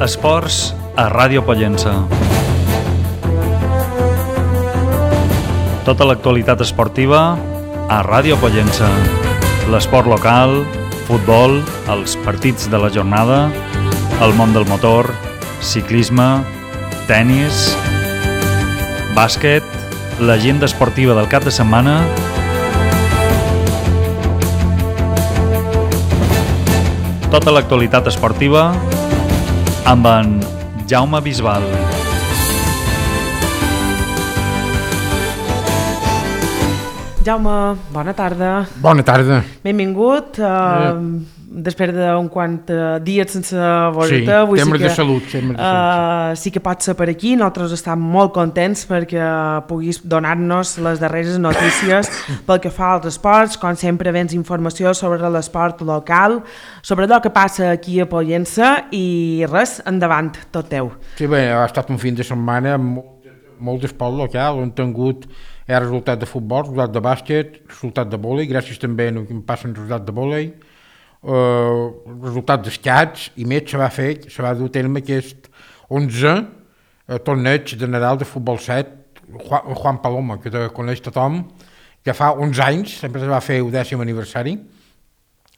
Esports a Ràdio Pollença. Tota l'actualitat esportiva a Ràdio Pollença. L'esport local, futbol, els partits de la jornada, el món del motor, ciclisme, tennis, bàsquet, l'agenda esportiva del cap de setmana, tota l'actualitat esportiva amb en Jaume Bisbal. Jaume, bona tarda. Bona tarda. Benvingut. Després d'un quant dies sense veure-te, sí, temes de salut. Sí que pots ser per aquí. Nosaltres estem molt contents perquè puguis donar-nos les darreres notícies pel que fa als esports. Com sempre, vens informació sobre l'esport local, sobre allò que passa aquí a Pollença i res, endavant, tot teu. Sí, bé, ha estat un fin de setmana amb molt d'esport local, on hem tingut resultat de futbol, resultat de bàsquet, resultat de vòlei, gràcies també a que em passen resultat de vòlei, resultat d'escacs, i més se va dur a terme aquest 11 torneig de Nadal de futbol 7, Juan Paloma, que coneix tothom, que fa 11 anys, sempre es va fer el 10è aniversari.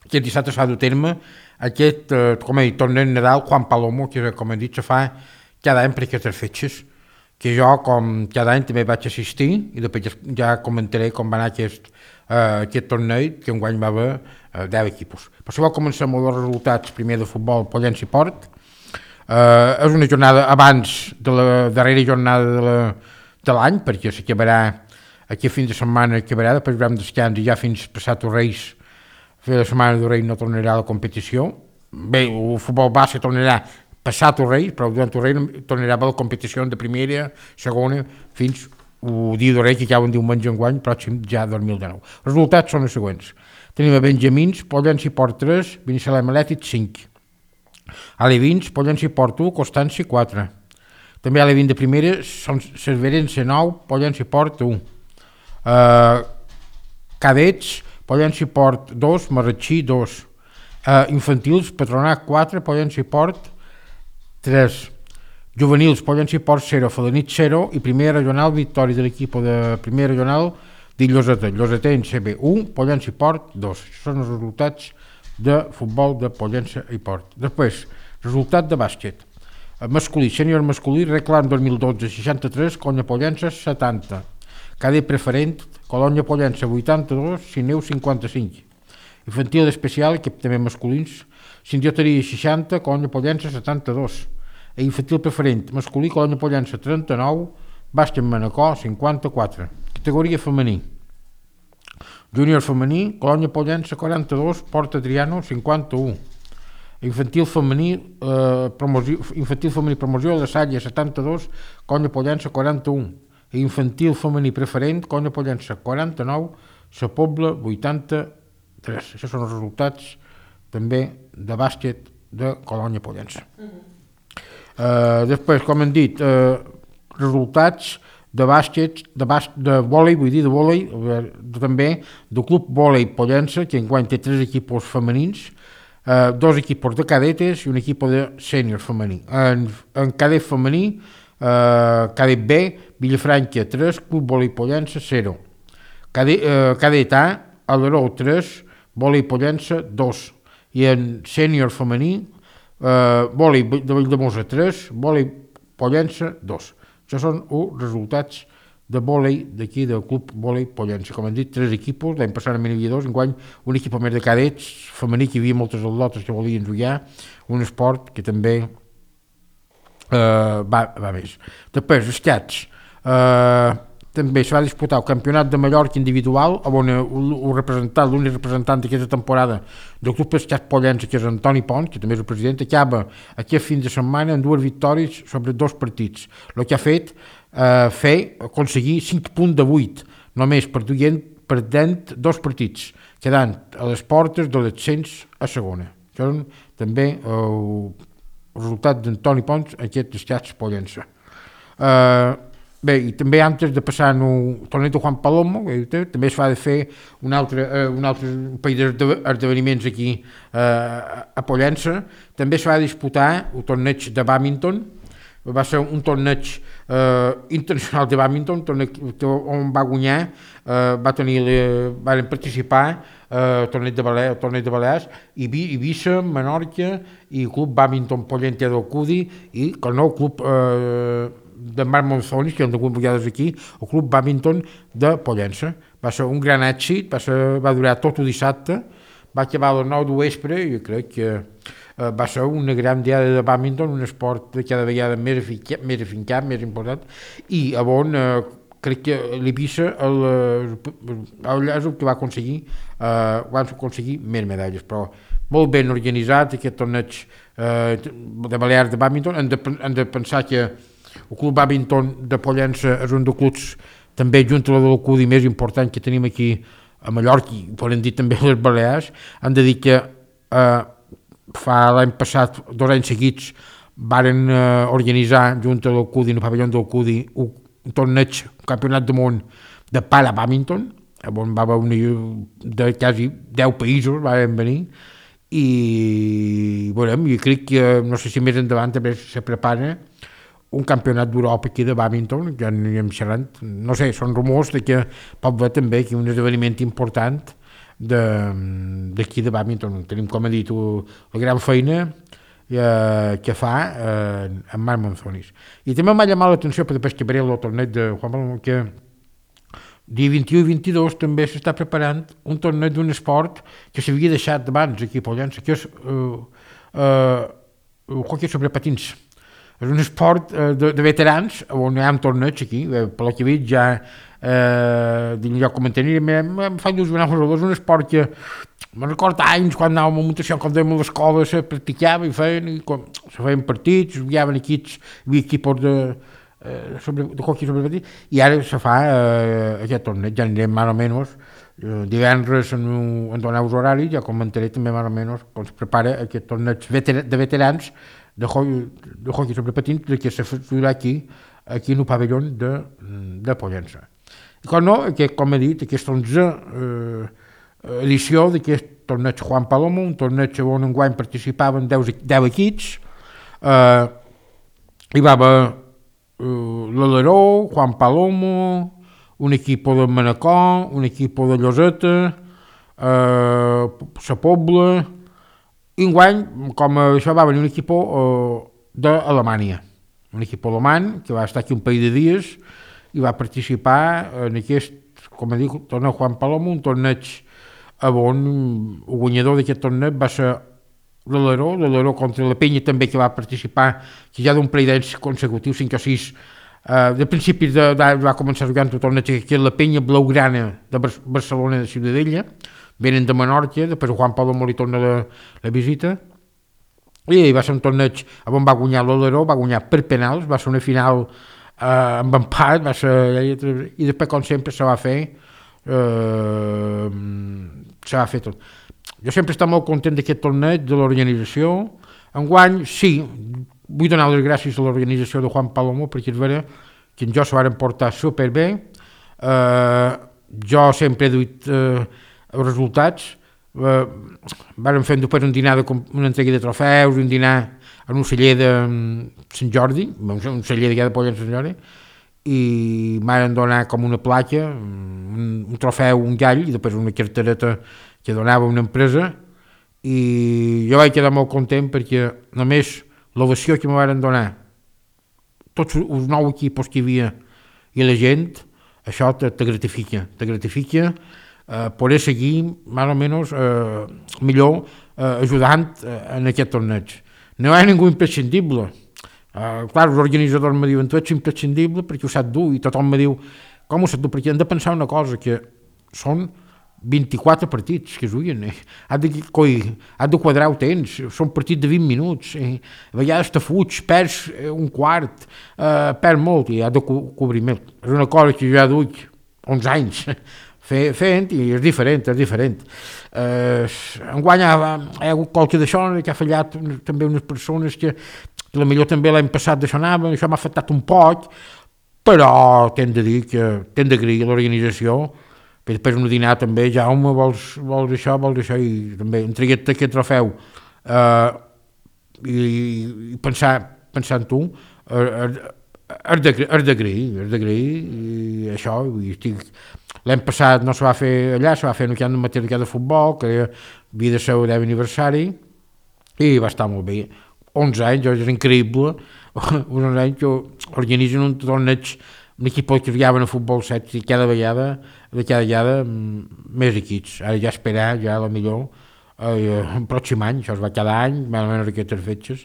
Aquest dissabte s'ha dur a terme aquest, com he dit, torneig Nadal Juan Paloma, que com he dit se fa cada any per aquestes fetges, que jo com cada any també vaig assistir i després ja comentaré com va anar aquest torneig, que enguany va haver 10 equipos. Per això comencem amb els resultats primer de futbol Pollença i Port. És una jornada abans de la darrera jornada de l'any, perquè s'acabarà aquí a fin de setmana, després haurem descans i ja fins passat els Reis, fer la setmana de Reis no tornarà a la competició. Bé, el futbol base tornarà passat els Reis, però durant els Reis tornarà a la competició de primera, segona, fins el dia de Reis, que acaba un diumenge enguany, pròxim ja 2019. Els resultats són els següents. Tenim a Benjamins, Pollença i Port 3, Binissalem Atlètic 5. A Levins, Pollença i Port 1, Constància 4. També a Levins de primera, són Cerverense 9, Pollença i Port 1. Cadets, Pollença i Port 2, Marratxí 2. Infantils, Patronat 4, Pollença i Port 3. Juvenils, Pollença i Port 0, Felanit 0, i primera regional, victòria de l'equip de primera regional de Llosetens CB 1, Pollença i Port 2. Això són els resultats de futbol de Pollença i Port. Després, resultat de bàsquet. Masculí, sènior masculí, Reclam 2012 63, Colònia Pollença 70. Cadet preferent, Colònia Pollença 82, Sineu 55. Infantil especial, que també masculins, Sindioteria 60, Colònia Pollença 72. Infantil preferent, masculí, Colònia Pollença 39, bàsquet Manacor 54. Categoria femení. Júnior femení, Colònia Pollença 42, Port Adriano 51. Infantil femení, promoció de Salla 72, Colònia Pollença 41. Infantil femení preferent, Colònia Pollença 49, Sa Pobla 83. Això són els resultats també de bàsquet de Colònia Pollença. Després, com hem dit, resultats de bàsquet, de vòlei, també del Club Vòlei Pollença, que enguany té 3 equipos femenins, 2 equipos de cadetes i un equip de sènior femení. En cadet femení, cadet B, Vilafranca 3, Club Vòlei Pollença 0. Cadet A, Aleró 3, Vòlei Pollença 2. I en sènior femení, Vòlei de Valldemossa 3, Vòlei Pollença 2. Això són els resultats de vòlei d'aquí del Club Vòlei Pollença. Com hem dit, 3 equipos, l'any passat en havia 2, enguany un equip més de cadets femení, que hi havia moltes atletes que volien jugar, un esport que també va més. Després, escacs. També se va disputar el Campionat de Mallorca individual, on l'únic representant d'aquesta temporada del Club Escacs Pollença, que és Antoni Pons, que també és el president, acaba aquest fin de setmana amb 2 victòries sobre 2 partits. El que ha fet aconseguir 5 punts de 8, només perdent 2 partits, quedant a les portes de l'ascens a segona. Això és també el resultat d'Antoni Pons, aquest Escacs Pollença. Bé, i també antes de passar el torneig de Juan Palomo, també es va de fer un altre parell d'esdeveniments aquí a Pollença. També es va disputar el torneig de bàdminton, va ser un torneig internacional de bàdminton, on va guanyar, van participar torneig de Balears, Eivissa, Menorca i Club Bàdminton Pollente del Cudi i el nou club de Marc Monzonis, que hem tingut vegades aquí, el Club Bàdminton de Pollença. Va ser un gran èxit, va durar tot el dissabte, va acabar a les 9 de vespre i jo crec que va ser una gran diada de bàdminton, un esport de cada vegada més afincat, més important, i on crec que l'Eivissa és el que va aconseguir més medalles, però molt ben organitzat aquest torneig de Balears de bàdminton. Hem de pensar que el Club Bàdminton de Pollença és un dels clubs també junt a la del Cudi més important que tenim aquí a Mallorca i podem dir també a les Balears. Han de dir que fa l'any passat, 2 anys seguits, varen organitzar junt a l'Alcudi, en el pavelló del Cudi, un torneig, un campionat del món de para-bàdminton, on va venir de quasi 10 països, van venir, i veurem, jo crec que, no sé si més endavant també se prepara un campionat d'Europa aquí de bàdminton, que anem xerrant, no sé, són rumors de que pot haver també aquí un esdeveniment important d'aquí de bàdminton. Tenim, com he dit, la gran feina que fa en Marc Monzonis. I també m'ha llamat l'atenció, per després que veuré el torneig de Juan Palomo, que dia 21 i 22 també s'està preparant un torneig d'un esport que s'havia deixat abans aquí a Pollença, que és el hoquei sobre patins. És un esport de veterans, on hi ha un torneig aquí, per la que veig ja comentant, em fa il·lusionar, és un esport que me'n recordo anys quan anàvem a Montació, quan dèiem a l'escola, se practicava i se feien partits, hi havia equipos de hoquei sobre patins, i ara se fa aquest torneig, ja anirem més o menys, divendres en donar els horaris, ja comentaré també més o menys com es prepara aquest torneig de veterans de hoquei sobre patins que se farà aquí en el pavelló de Pollença. I com he dit, aquesta 11 edició d'aquest torneig Juan Palomo, un torneig on enguany participaven 10 equips, hi va haver l'Aleró, Juan Palomo, un equip de Manacor, un equip de Lloseta, la Pobla, i enguany, com això, va venir un equip d'Alemanya, un equip alemany que va estar aquí un parell de dies i va participar en aquest, com he dit, torneig Juan Palomo, un torneig on el guanyador d'aquest torneig va ser l'Aleró contra la Penya també, que va participar, que ja d'un parell d'anys consecutius, 5 o 6, de principis va començar jugant el torneig que és la Penya Blaugrana de Barcelona de Ciutadella, venen de Menorca, després Juan Palomo li torna la visita, i va ser un torneig on va guanyar l'Aleró, va guanyar per penals, va ser una final amb empat, i després, com sempre, se va fer tot. Jo sempre estic molt content d'aquest torneig, de l'organització. Enguany, sí, vull donar les gràcies a l'organització de Juan Palomo, perquè és vera que jo s'ho van portar superbé. Jo sempre he duit els resultats. Vam fer després un dinar, una entrega de trofeus, un dinar en un celler de Sant Jordi, un celler de Pollença Sant Jordi, i m'han donat com una placa, un trofeu, un gall, i després una cartereta que donava una empresa, i jo vaig quedar molt content perquè només l'ovació que me van donar tots els 9 equips que hi havia i la gent, això te gratifica, poder seguir més o menys millor ajudant en aquest torneig. No hi ha ningú imprescindible. Clar, els organitzadors me diuen tu ets imprescindible perquè ho sap dur, i tothom me diu com ho sap dur, perquè hem de pensar una cosa, que són 24 partits que es juguen, has de quadrar el temps, són partits de 20 minuts, a vegades te fuig, perds un quart, perds molt i has de cobrir més. És una cosa que jo ja duc 11 anys fent i és diferent. Enguany hi ha hagut qualque d'això que ha fallat també unes persones que potser també l'any passat d'això anaven, això m'ha afectat un poc, però t'hem d'agrair l'organització, perquè després un dinar també, Jaume, vols això, i també entreguet aquest trofeu i pensar en tu, has d'agrair, i això, l'any passat no se va fer allà, se va fer en el camp de matèria de futbol, que havia de ser el 10 aniversari, i va estar molt bé. 11 anys, és increïble, 11 anys que organitzen un torneig, un equip que jugaven a futbol 7 i cada vegada més equips. Ara ja esperar, ja a la millor, el pròxim any, això es va cada any, més o menys aquestes fetges,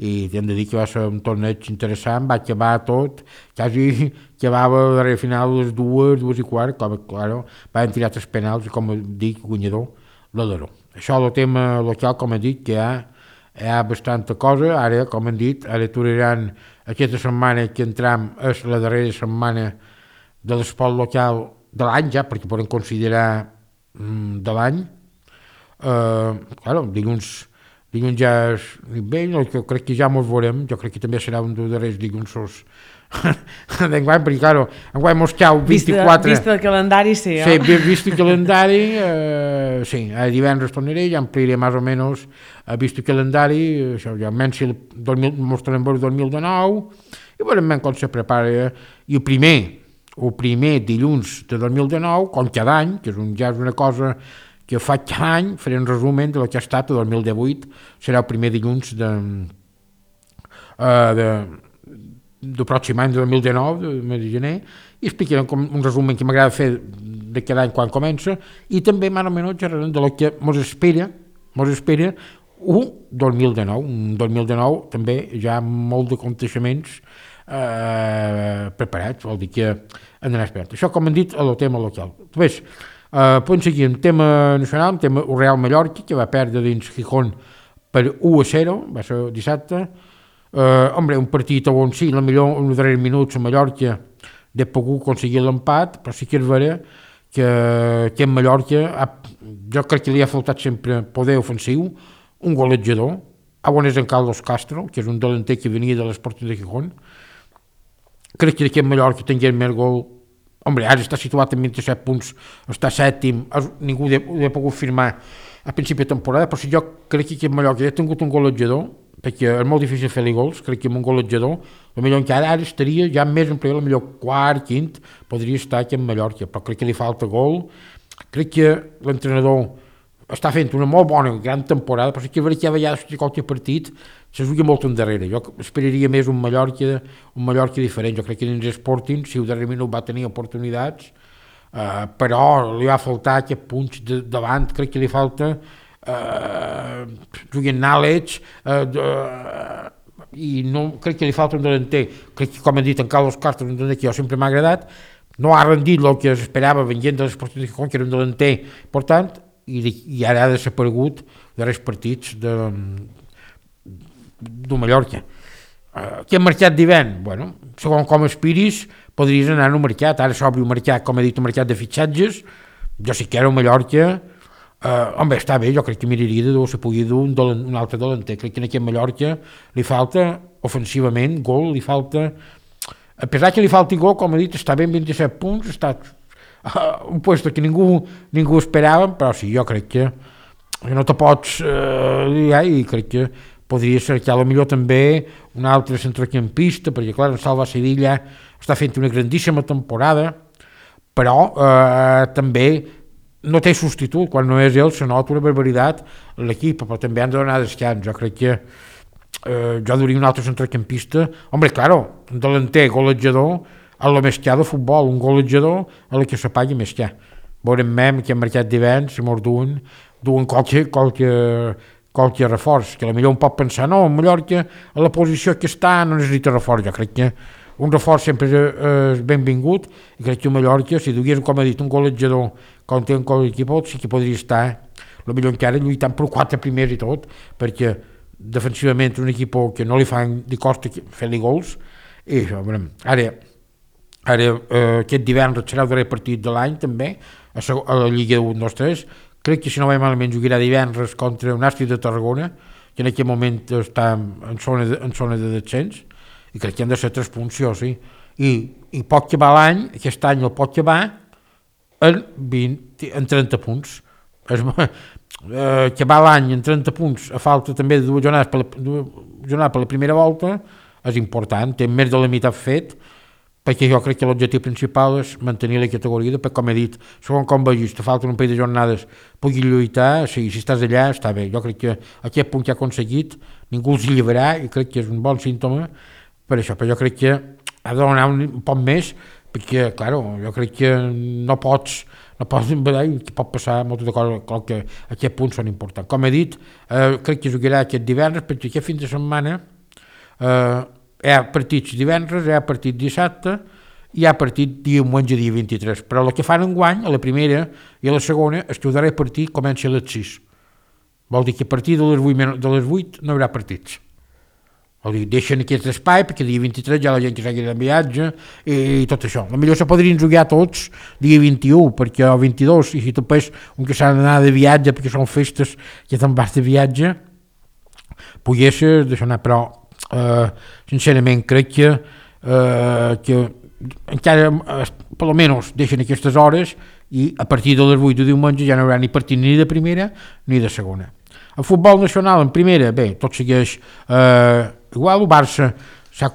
i hem de dir que va ser un torneig interessant, va acabar tot, quasi acabava a darrere final les 2:15, claro, van tirar 3 penals i, com dic, guanyador, l'Aleró. Això és el tema local, com he dit, que hi ha bastanta cosa. Ara, com hem dit, ara aturaran aquesta setmana que entram, és la darrera setmana de l'esport local de l'any ja, perquè podem considerar de l'any. Claro, dilluns ja és bé, jo crec que ja mos veurem, jo crec que també serà un dels darrers dilluns d'enguany, perquè claro, enguany mos cau 24... Vist el calendari, sí. Sí, vist el calendari, sí, divendres tornaré, ja ampliaré més o menys vist el calendari, això ja almenys mostrarem el 2019, i veurem com se prepara, i el primer dilluns de 2019, com cada any, que ja és una cosa que faig cada any, faré un resumen del que ha estat el 2018, serà el primer dilluns del pròxim any, del 2019, del mes de gener, i explicarem un resumen que m'agrada fer de cada any quan comença, i també més o menys xerrarem del que mos espera un 2019. Un 2019 també ja molt d'aconteixements preparats, vol dir que han d'anar esperant. Això, com hem dit, el tema local. Després, podem seguir un tema nacional, un tema Real Mallorca, que va perdre dins Gijón per 1-0, va ser dissabte. Un partit on sí, millor en els darrers minuts a Mallorca de pogut aconseguir l'empat, però sí que és vera que en Mallorca jo crec que li ha faltat sempre poder ofensiu, un golejador, on és en Carlos Castro, que és un delanter que venia de l'Sporting de Gijón. Crec que en Mallorca tingués més gol. Ara està situat en 27 punts, està sèptim, ningú l'ha pogut firmar a principi de temporada, però si jo crec que en Mallorca ha tingut un golejador, perquè és molt difícil fer-li gols, crec que amb un golejador, potser encara ara estaria ja més en primer, potser quart, quint, podria estar aquí en Mallorca, però crec que li falta gol, crec que l'entrenador està fent una molt bona, gran temporada, però sí que a vegades que qualque partit se juga molt endarrere. Jo esperaria més un Mallorca diferent. Jo crec que dins Sporting, si el darrer minut va tenir oportunitats, però li va faltar aquest punx davant, crec que li falta juguen knowledge i no crec que li falta un delanter. Crec que, com hem dit, en Carlos Castro, un delanter que jo sempre m'ha agradat, no ha rendit el que s'esperava venint de l'Sporting de Gijón, que era un delanter important, i ara ha desaparegut de els partits de Mallorca. Què ha marcat d'hivern? Bueno, segons com aspiris, podries anar a un mercat. Ara s'obre un mercat, com he dit, un mercat de fitxatges. Jo sí que era a Mallorca. Està bé, jo crec que miraria de se pugui dur un altre delanter. Crec que aquí a Mallorca li falta ofensivament gol, li falta, a pesar que li falti gol, com he dit, està bé en 27 punts, està un puesto que ningú esperava, però sí, jo crec que no te pots i crec que podria ser que potser també un altre centrocampista, perquè clar, en Salva Sevilla està fent una grandíssima temporada, però també no té substitut, quan no és ell se nota una barbaritat l'equip, però també han de donar descans. Jo crec que jo duria un altre centrocampista, claro, un delanter golejador a la més que de futbol, un golejador a la que se pagui més que. Veurem que han marcat d'hivern, si mos duen qualque reforç, que potser un pot pensar, no, en Mallorca a la posició que està no necessita reforç. Jo crec que un reforç sempre és benvingut, i crec que a Mallorca, si dugués, com he dit, un golejador com té un equip, sí que podria estar potser encara lluitant per 4 primers i tot, perquè defensivament un equip que no li fan de costa fer-li gols, i això, ara aquest divendres serà el darrer partit de l'any també, a la Lliga 1-2-3, crec que si no vaig malament jugarà divendres contra un Nàstic de Tarragona, que en aquest moment està en zona de descens, i crec que han de ser 3 punts, sí. i pot acabar l'any, aquest any el pot acabar en 30 punts. Acabar l'any en 30 punts a falta també de dues jornades per la primera volta és important, té més de la meitat fet, perquè jo crec que l'objectiu principal és mantenir la categoria, perquè com he dit, segons com vegis, te falten un parell de jornades, puguis lluitar, si estàs allà està bé. Jo crec que aquest punt que ha aconseguit ningú els llevarà i crec que és un bon símptoma per això, però jo crec que ha de donar un poc més, perquè, claro, jo crec que no pots envedar i que pot passar moltes de coses, clar que aquests punts són importants. Com he dit, crec que jugarà aquest divendres, perquè aquest fin de setmana hi ha partits divendres, hi ha partit dissabte, hi ha partit diumenge dia 23, però el que fan enguany, a la primera i a la segona, és que el darrer partit comença a les 6. Vol dir que a partir de les 8 no hi haurà partits. Vol dir, deixen aquest espai perquè dia 23 ja la gent que s'hagi de viatge i tot això. Potser se podrien jugar tots dia 21, perquè el 22, i si tu pes un que s'ha d'anar de viatge perquè són festes que te'n vas de viatge, poguessis deixar anar, però sincerament crec que encara per almenys deixen aquestes hores i a partir de les 8 de diumenge ja no hi haurà ni partit ni de primera ni de segona. El futbol nacional en primera, bé, tot segueix igual. El Barça s'ha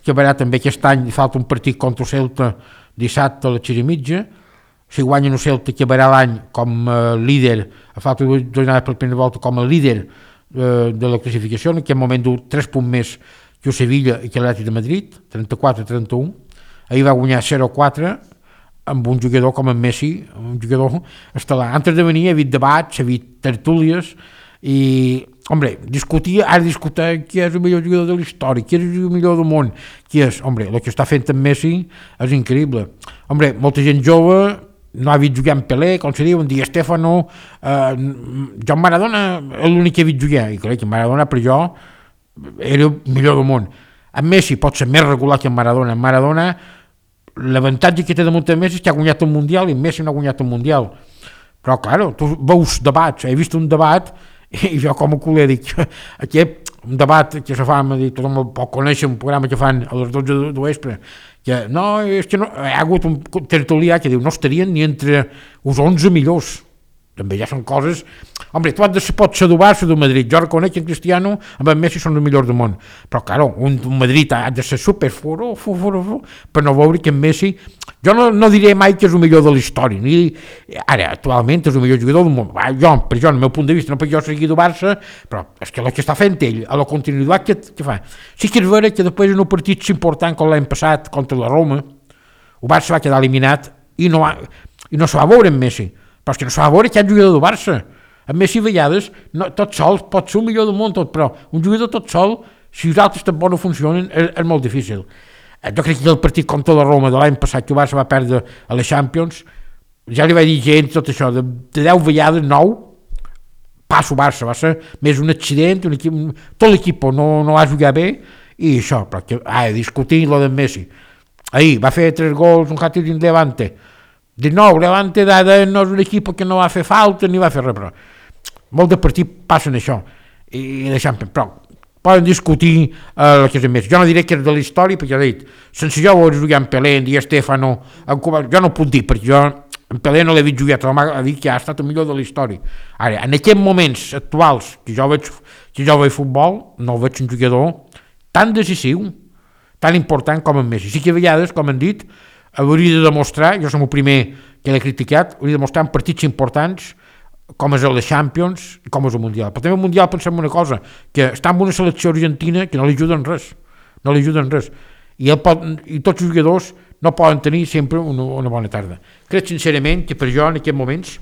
acabarà també aquest any, falta un partit contra el Celta dissabte a les 6:30. Si guanyen el Celta acabarà l'any com líder, a falta de jornades per la primera volta com a líder de la classificació. En aquest moment du 3 punts més que el Sevilla i que l'Atlètic de Madrid, 34-31. Ahir va guanyar 0-4 amb un jugador com en Messi, un jugador estel·lar. Antes de venir he vist debats, he vist tertúlies i, ara discutir qui és el millor jugador de la història, qui és el millor del món, qui és, el que està fent en Messi és increïble. Molta gent jove no ha vist jugar en Pelé, com se diu, en Di Stéfano, Joan Maradona és l'únic que he vist jugar, i crec que Maradona per jo era el millor del món. En Messi pot ser més regular que en Maradona. En Maradona, l'avantatge que té damunt de Messi és que ha guanyat un Mundial i Messi no ha guanyat un Mundial. Però, clar, tu veus debats, he vist un debat i jo com a culer dic, un debat que se fa, tothom el pot conèixer, un programa que fan a les 12 de vespre, que no, és que no, hi ha hagut un tertulià que diu no estarien ni entre els 11 millors. També ja són coses. Tu pots ser del Barça o del Madrid. Jo reconec que en Cristiano amb en Messi són els millors del món. Però, claro, un Madrid ha de ser super per no veure que en Messi... Jo no diré mai que és el millor de la història. Ara, actualment, és el millor jugador del món. Per jo, el meu punt de vista, no perquè jo sigui del Barça, però és que el que està fent ell, a la continuïtat que fa. Sí que és vera que després en un partit important com l'any passat contra la Roma, el Barça va quedar eliminat i no se va veure en Messi. Però és que no s'ha de veure que hi ha un jugador del Barça. A Messi, a vegades, tot sol pot ser el millor del món, però un jugador tot sol, si els altres tampoc no funcionen, és molt difícil. Jo crec que el partit contra la Roma de l'any passat, que el Barça va perdre a les Champions, ja li vaig dir gent tot això, de 10 vegades, 9, passa el Barça, va ser més un accident, tot l'equip no va jugar bé, i això, però discutint lo de Messi. Ahir va fer 3 gols, un hat-trick en Levante. De nou, Levante no és un equip que no va fer falta ni va fer res, però molts de partits passen això i deixant, però poden discutir el que és més. Jo no diré que és de la història, perquè ja he dit, sense jo veure jugar en Pelé, en Di Stéfano, jo no puc dir, perquè jo en Pelé no l'he vist jugar, però m'ha dit que ha estat el millor de la història. Ara, en aquests moments actuals que jo veig futbol, no veig un jugador tan decisiu, tan important com en Messi. Sí que a vegades, com han dit, hauria de demostrar, jo som el primer que l'he criticat, hauria de demostrar en partits importants com és el Champions i com és el Mundial. Però també el Mundial pensem una cosa, que està en una selecció argentina que no li ajuden res. I tots els jugadors no poden tenir sempre una bona tarda. Crec sincerament que per jo en aquests moments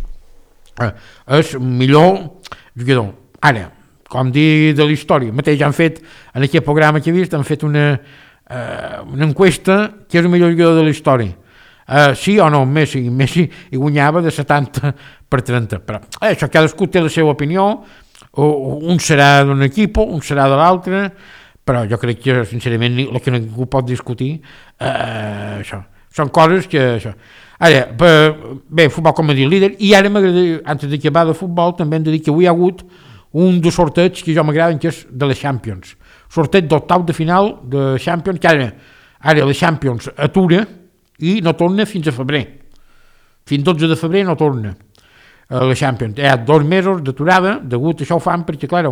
és el millor jugador. Ara, com dir de la història, mateix han fet, en aquest programa que he vist, han fet una enquesta que és el millor jugador de la història. Sí o no, Messi hi guanyava de 70-30, però això cadascú té la seva opinió, un serà d'un equip, un serà de l'altre, però jo crec que sincerament el que ningú pot discutir això, són coses que això. Ara, bé, futbol com a dir líder, i ara m'agradaria, antes d'acabar de futbol, també hem de dir que avui hi ha hagut un dels sorteig que jo m'agraden, que és de les Champions, sorteig d'octau de final de Champions, que Ara la Champions atura i no torna fins a febrer. Fins 12 de febrer no torna a la Champions. Hi ha 2 mesos d'aturada, degut a això ho fan perquè, clar,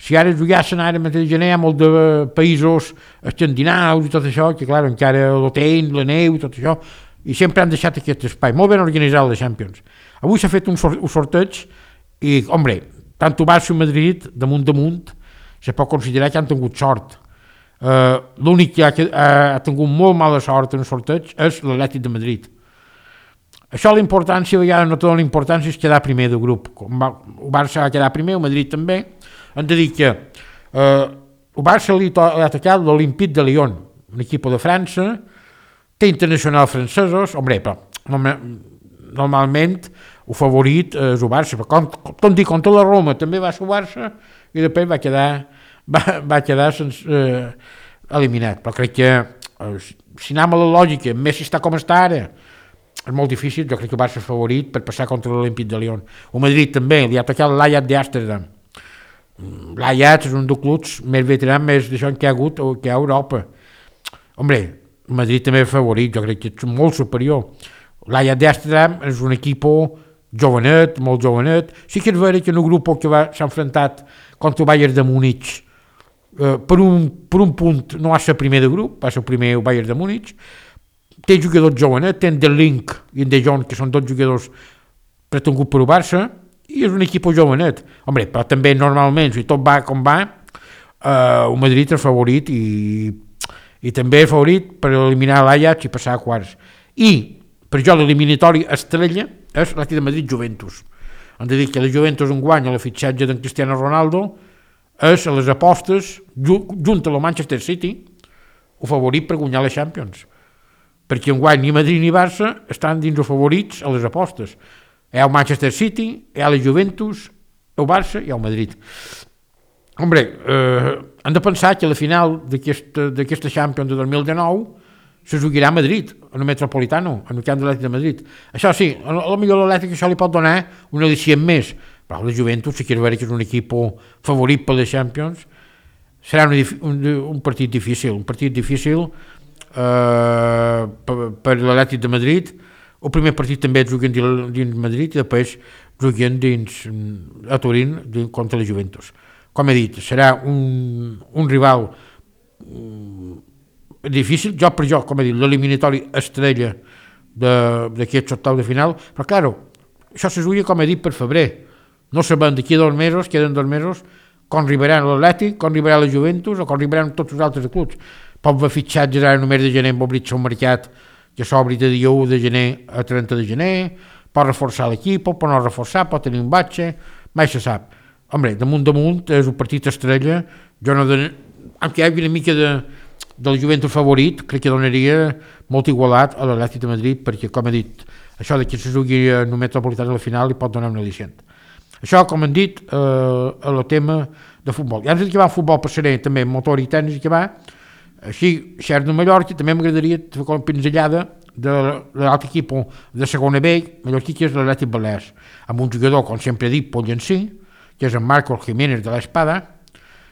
si ara jugassen ara mateix de gener hi ha molt de països escandinaus i tot això, que clar, encara l'hotel, la neu i tot això, i sempre han deixat aquest espai. Molt ben organitzat la Champions. Avui s'ha fet un sorteig i, hombre, tant el Barça i Madrid, damunt, se pot considerar que han tingut sort. L'únic que ha tingut molt mala sort en el sorteig és l'Atlètic de Madrid. Això l'importància, a vegades no té l'importància, és quedar primer del grup. El Barça va quedar primer, el Madrid també. Hem de dir que el Barça li ha tocat l'Olympique de Lyon, un equip de França, té internacionals francesos, hombre, però normalment el favorit és el Barça, però com dic, contra la Roma també va ser el Barça i després va quedar eliminat, però crec que si anem a la lògica, Messi està com està ara, és molt difícil, jo crec que el Barça és favorit per passar contra l'Olímpic de Lyon. El Madrid també, li ha tocat l'Ajax d'Amsterdam. L'Ajax és un dels clubs més veterans, més d'això que hi ha hagut o que hi ha a Europa. Hombre, el Madrid també és favorit, jo crec que és molt superior. L'Ajax d'Amsterdam és un equip jovenet, molt jovenet. Sí que és vera que en el grup que s'ha enfrontat contra el Bayern de Múnich, per un punt no va ser primer de grup, va ser primer el Bayern de Múnich. Té jugadors jovenets, té en De Link i en De Jong, que són 2 jugadors pretenguts per el Barça, i és un equip jovenet. Hombre, però també normalment, si tot va com va, el Madrid és favorit i també és favorit per eliminar l'Ajax i passar a quarts. I, per jo, l'eliminatori estrella és l'Atlètic de Madrid-Juventus. Hem de dir que la Juventus enguany a la fitxatge d'en Cristiano Ronaldo és a les apostes, junt a la Manchester City, el favorit per guanyar la Champions. Perquè enguany ni Madrid ni Barça estan dins els favorits a les apostes. Hi ha el Manchester City, hi ha la Juventus, el Barça i el Madrid. Hombre, hem de pensar que la final d'aquesta Champions de 2019 se jugarà a Madrid, en el Metropolitano, en el camp de l'Atlètic de Madrid. Això sí, a lo millor l'Atlètic això li pot donar un al·licient més, però la Juventus, si quieres veure que és un equip favorit per les Champions, serà un partit difícil, per l'Atlètic de Madrid. El primer partit també juguen dins Madrid i després juguen a Turín contra la Juventus. Com he dit, serà un rival difícil, com he dit, l'eliminatori estrella d'aquest octau de final, però clar, això se juga, com he dit, per febrer. No sabem d'aquí a 2 mesos, queden 2 mesos, com arribarà l'Atlètic, com arribarà la Juventus o com arribaran tots els altres clubs. Pot haver fitxatges ara només de gener, pot obrir un mercat que s'obri de dia 1 de gener a 30 de gener, pot reforçar l'equip, pot no reforçar, pot tenir un batxe, mai se sap. Hombre, damunt és un partit estrella, jo no aunque hi hagi una mica del Juventus favorit, crec que donaria molt igualat a l'Atlètic de Madrid, perquè, com he dit, això que se jugui en el Metropolitano a la final li pot donar un al·licient. Això, com hem dit, el tema de futbol. I abans que va el futbol passaré també motor i tenis que va, així, Xers de Mallorca, també m'agradaria fer una pinzellada de l'altre equip de segona B, mallorquí, que és l'Atlètic Balears, amb un jugador, com sempre he dit, pollencí, que és en Marcos Jiménez de l'Espada,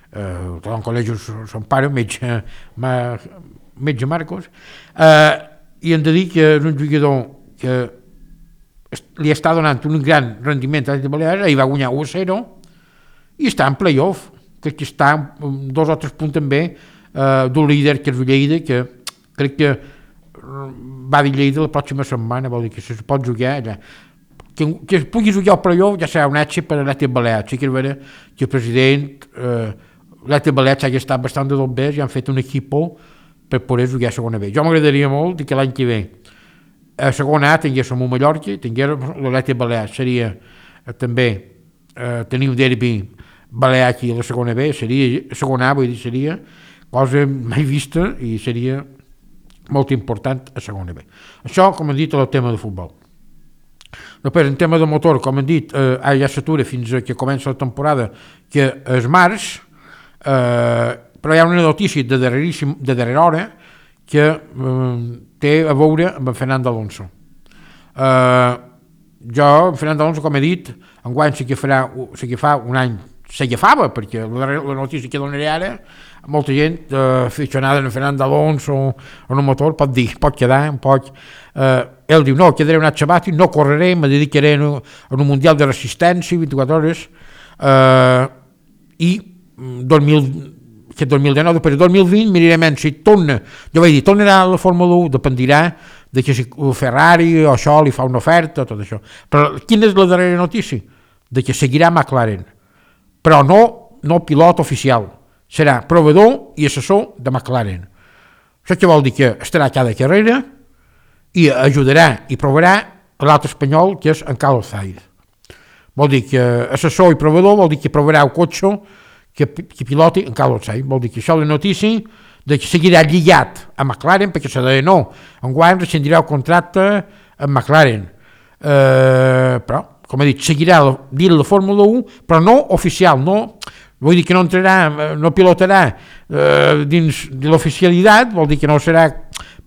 tot en col·legi son pare, metge Marcos, i hem de dir que és un jugador que li està donant un gran rendiment a l'Atlètic Balears, ahir va guanyar 1-0 i està en play-off, que està 2 o 3 punts també d'un líder que és Lleida, que crec que va dir Lleida la pròxima setmana, vol dir que se pot jugar allà. Que es pugui jugar al play-off ja serà un èxit per a l'Atlètic Balears. Sí que és vera que el president l'Atlètic Balears ha estat bastant de tot bé i han fet un equip per poder jugar a segona B. Jo m'agradaria molt que l'any que ve a segona A tinguéssim un Mallorca, tinguéssim l'Atlètic Balears, seria també tenir un derbi balear aquí a la segona B, seria segona A, vull dir, seria cosa mai vista i seria molt important a segona B. Això, com hem dit, és el tema de futbol. Després, en tema de motor, com hem dit, ja s'atura fins que comença la temporada, que és març, però hi ha una notícia de darrera hora que té a veure amb en Fernando Alonso. Jo, en Fernando Alonso, com he dit, enguany sí que fa un any, s'agafava, perquè la notícia que donaré ara, molta gent aficionada a Fernando Alonso o en un motor pot dir, pot quedar, ell diu, no, quedaré un any sabàtic, no correré, me dedicaré en un mundial de resistència, 24 hores, i 2019, després de 2020 mirarem si torna, jo vaig dir, tornarà a la Fórmula 1, dependirà de que si Ferrari o això li fa una oferta, tot això. Però quina és la darrera notícia? De que seguirà McLaren, però no pilot oficial, serà proveedor i assessor de McLaren. Això què vol dir? Que estarà a cada carrera i ajudarà i provarà l'altre espanyol, que és en Carlos Sainz. Vol dir que assessor i proveedor vol dir que provarà el cotxe que piloti en Carlos Sainz. Vol dir que això és la notícia de que seguirà lligat a McLaren, perquè se deia no, enguany rescindirà el contracte amb McLaren. Però, com he dit, seguirà dins la Fórmula 1, però no oficial, vull dir que no entrarà, no pilotarà dins de l'oficialitat, vol dir que no serà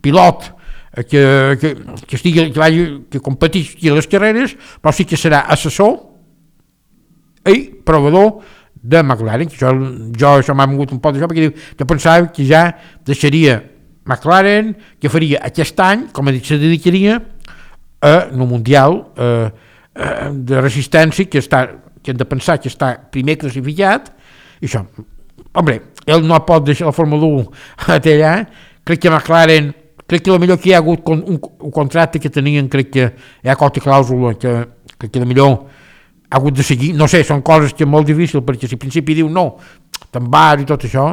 pilot que competeixi a les carreres, però sí que serà assessor i proveedor de McLaren, que això m'ha vingut un poc d'això, perquè jo pensava que ja deixaria McLaren, que faria aquest any, com he dit, se dedicaria a un mundial de resistència que hem de pensar que està primer classificat, i això, home, ell no pot deixar la Fórmula 1 allà, crec que McLaren, crec que el millor que hi ha hagut un contracte que tenien, crec que hi ha qualque clàusula que el millor ha hagut de seguir, no sé, són coses que és molt difícil, perquè si al principi diu no, te'n vas i tot això,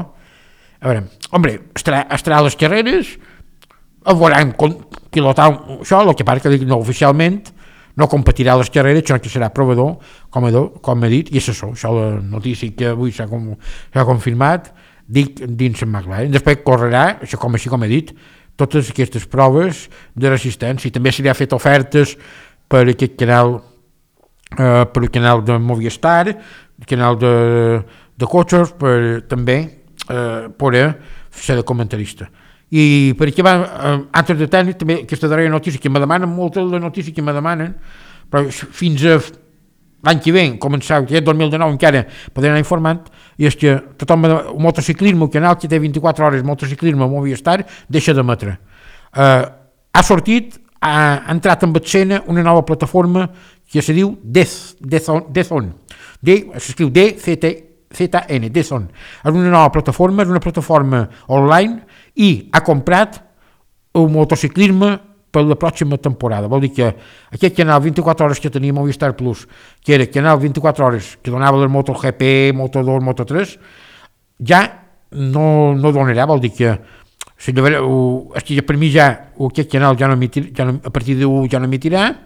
a veure, home, estarà a les carreres, el veuran pilotar això, el que passa que no oficialment, no competirà a les carreres, sinó que serà proveedor, com he dit, i assessor, això la notícia que avui s'ha confirmat, dic dins en McLaren, després correrà, això com he dit, totes aquestes proves de resistència, i també se li ha fet ofertes per aquest canal, per el canal de Movistar, el canal de cotxes, per també poder ser de comentarista. I per aquí va, altres de tècnic, també aquesta darrera notícia que me demanen, moltes de les notícies que me demanen, però fins a l'any que ve, començar, que és 2019 encara, poder anar informant, i és que tothom, el motociclisme, el canal que té 24 hores, motociclisme a Movistar, deixa d'emetre. Ha sortit, ha entrat en escena una nova plataforma que se diu DAZN. S'escriu DZN, DAZN. És una nova plataforma, és una plataforma online i ha comprat el motociclisme per la pròxima temporada. Vol dir que aquest canal 24 hores que tenia Movistar Plus, que era el canal 24 hores que donava el MotoGP, Moto2, Moto3, ja no donarà, vol dir que per mi ja aquest canal a partir d'1 ja no emitirà,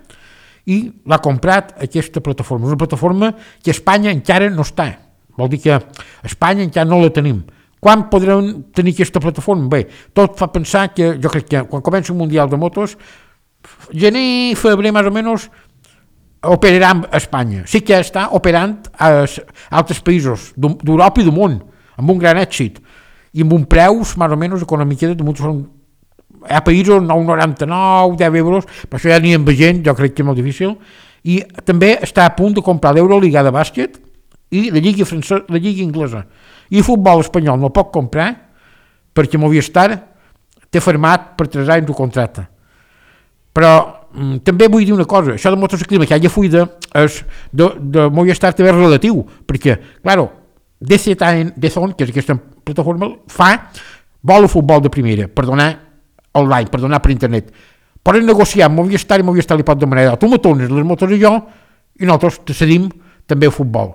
i l'ha comprat aquesta plataforma. És una plataforma que a Espanya encara no està. Vol dir que a Espanya encara no la tenim. Quan podrem tenir aquesta plataforma? Bé, tot fa pensar que jo crec que quan comença un Mundial de Motos, gener, febrer, més o menys, operarà a Espanya. Sí que està operant a altres països d'Europa i del món, amb un gran èxit, i amb un preus, més o menys, econòmics, hi ha països 9,99, 10 euros, però això ja n'hi ha gent, jo crec que és molt difícil, i també està a punt de comprar l'Euroliga de bàsquet i la Lliga francesa, la Lliga inglesa. I el futbol espanyol no el pot comprar perquè Movistar té firmat per 3 anys de contracte. Però també vull dir una cosa, això del motociclisme que hi ha fuida de Movistar també és relatiu, perquè, clar, DAZN, que és aquesta plataforma, vol el futbol de primera, per donar online, per donar per internet. Poden negociar amb Movistar i Movistar li pot demanar, tu me tornes les motos i jo, i nosaltres te cedim també el futbol.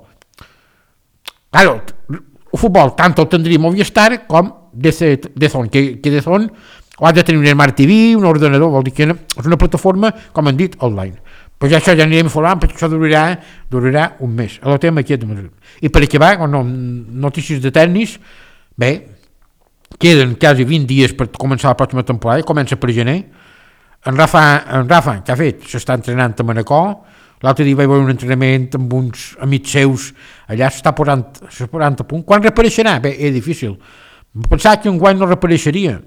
Claro, el futbol tant el tindria Movistar com DAZN, que DAZN ha de tenir un Smart TV, un ordenador, vol dir que és una plataforma, com han dit, online. Però ja això ja anirem informant, perquè això durarà un mes. El tema aquí i per acabar, notícies de tennis, bé, queden quasi 20 dies per començar la pròxima temporada, comença per gener. En Rafa, què ha fet? S'està entrenant a Manacor, l'altre dia vaig veure un entrenament amb uns amics seus, allà s'està posant a punt. Quan reapareixerà? Bé, és difícil. Pensava que enguany no reapareixeria,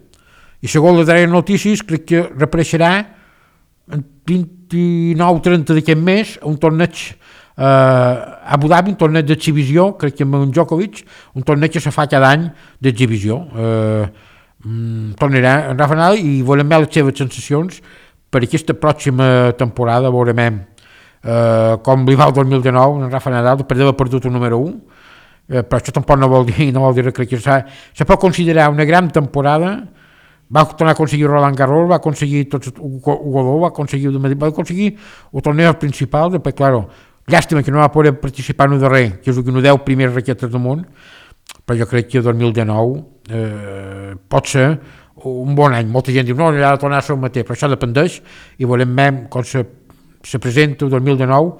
i segons les darreres notícies crec que reapareixerà el 29-30 d'aquest mes a un torneig a Abu Dhabi un torneig d'exhibició, crec que amb en Djokovic, un torneig que se fa cada any d'exhibició. Tornarà en Rafa Nadal i volem veure les seves sensacions per aquesta pròxima temporada. Veurem com li va el 2019 en Rafa Nadal, després d'haver perdut el número 1, però això tampoc no vol dir crec que se pot considerar una gran temporada. Va tornar a aconseguir Roland Garros, va aconseguir tots Godó, va aconseguir el torneig principal. Després, claro, llàstima que no va poder participar en el darrer, que és el que no 10 primeres raquetes del món, però jo crec que el 2019 pot ser un bon any. Molta gent diu, no, ha de tornar a ser el mateix, però això dependeix i volem veure com se presenta el 2019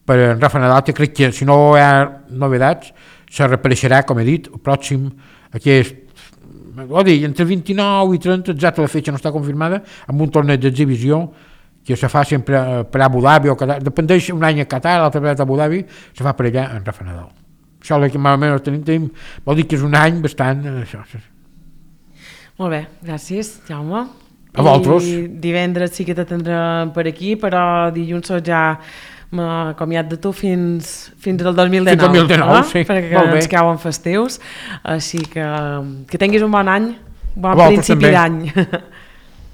per en Rafa Nadal, que crec que si no hi ha novedats se reapareixerà, com he dit, el pròxim, aquest, entre 29 i 30, exacte la fetge no està confirmada, amb un torneig d'exhibició que se fa sempre per Abu Dhabi o Qatar, dependeix un any a Qatar, l'altre vegada a Abu Dhabi, se fa per allà en Rafa Nadal. Això que malament tenim, vol dir que és un any bastant... Molt bé, gràcies, Jaume. A vosaltres. I divendres sí que t'atendrem per aquí, però dilluns ja m'he acomiadat de tu fins al 2019. Fins al 2019, sí. Perquè ens cauen festius. Així que tinguis un bon any, bon a principi d'any.